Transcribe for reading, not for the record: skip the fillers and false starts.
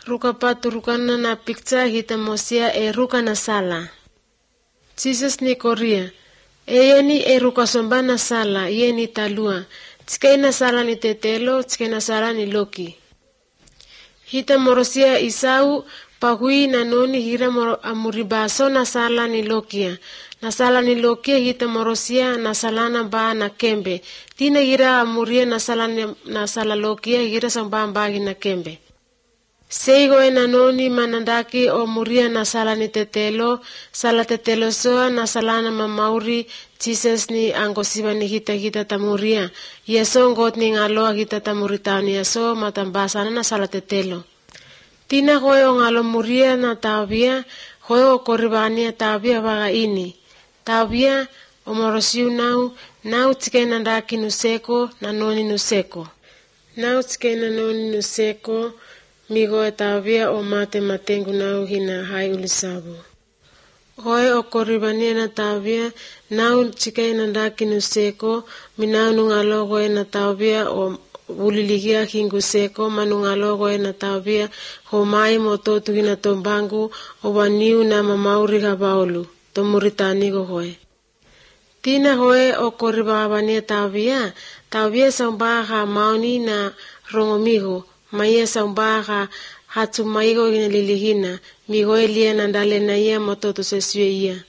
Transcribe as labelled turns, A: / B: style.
A: Ruka paturukana na picture hita mosia e ruka na sala. Jesus ni koria. Eyeni e ruka somba na sala, yeni talua. Tske na sala ni tetelo, tske na sala ni loki. Hita morosia Isau, pahui na noni hira amuribaso na sala ni lokia. Na sala ni lokia hita morosia na salana ba na kembe. Tina hira amuria na sala lokia hira samba mbagi na kembe. Seigo e na noni manandaki o muria na sala ni tetelo, sala tetelo soa na salana mamauri, Jesus ni angosiba ni hita tamuria. Yeso ngot ni ngaloa hita tamuritani yaso matambasana na sala tetelo. Tina hoe o ngalo muria na tabia, hoe o koribania tabia vaga ini. Tabia o morosiu nau tike nandaki nuseko na noni nuseko. Nau tike na noni nuseko, migo e tabia o mate matengu nau hina hai ulisabu. Hoe o koribania na tabia, nau tike nandaki nuseko, minau nungalogo e na tabia o uliligia hingu seko, manungalogo e na tabia, ho mai mototu hina tombangu, o waniu na mamauri habaolu, tomuritani go hoe. Tina hoe o koribabania tabia sambaha mauni na rongomigo, maya sambaha hatumaigo hina lilihina, migo elia nandale na ia mototu sesue ia.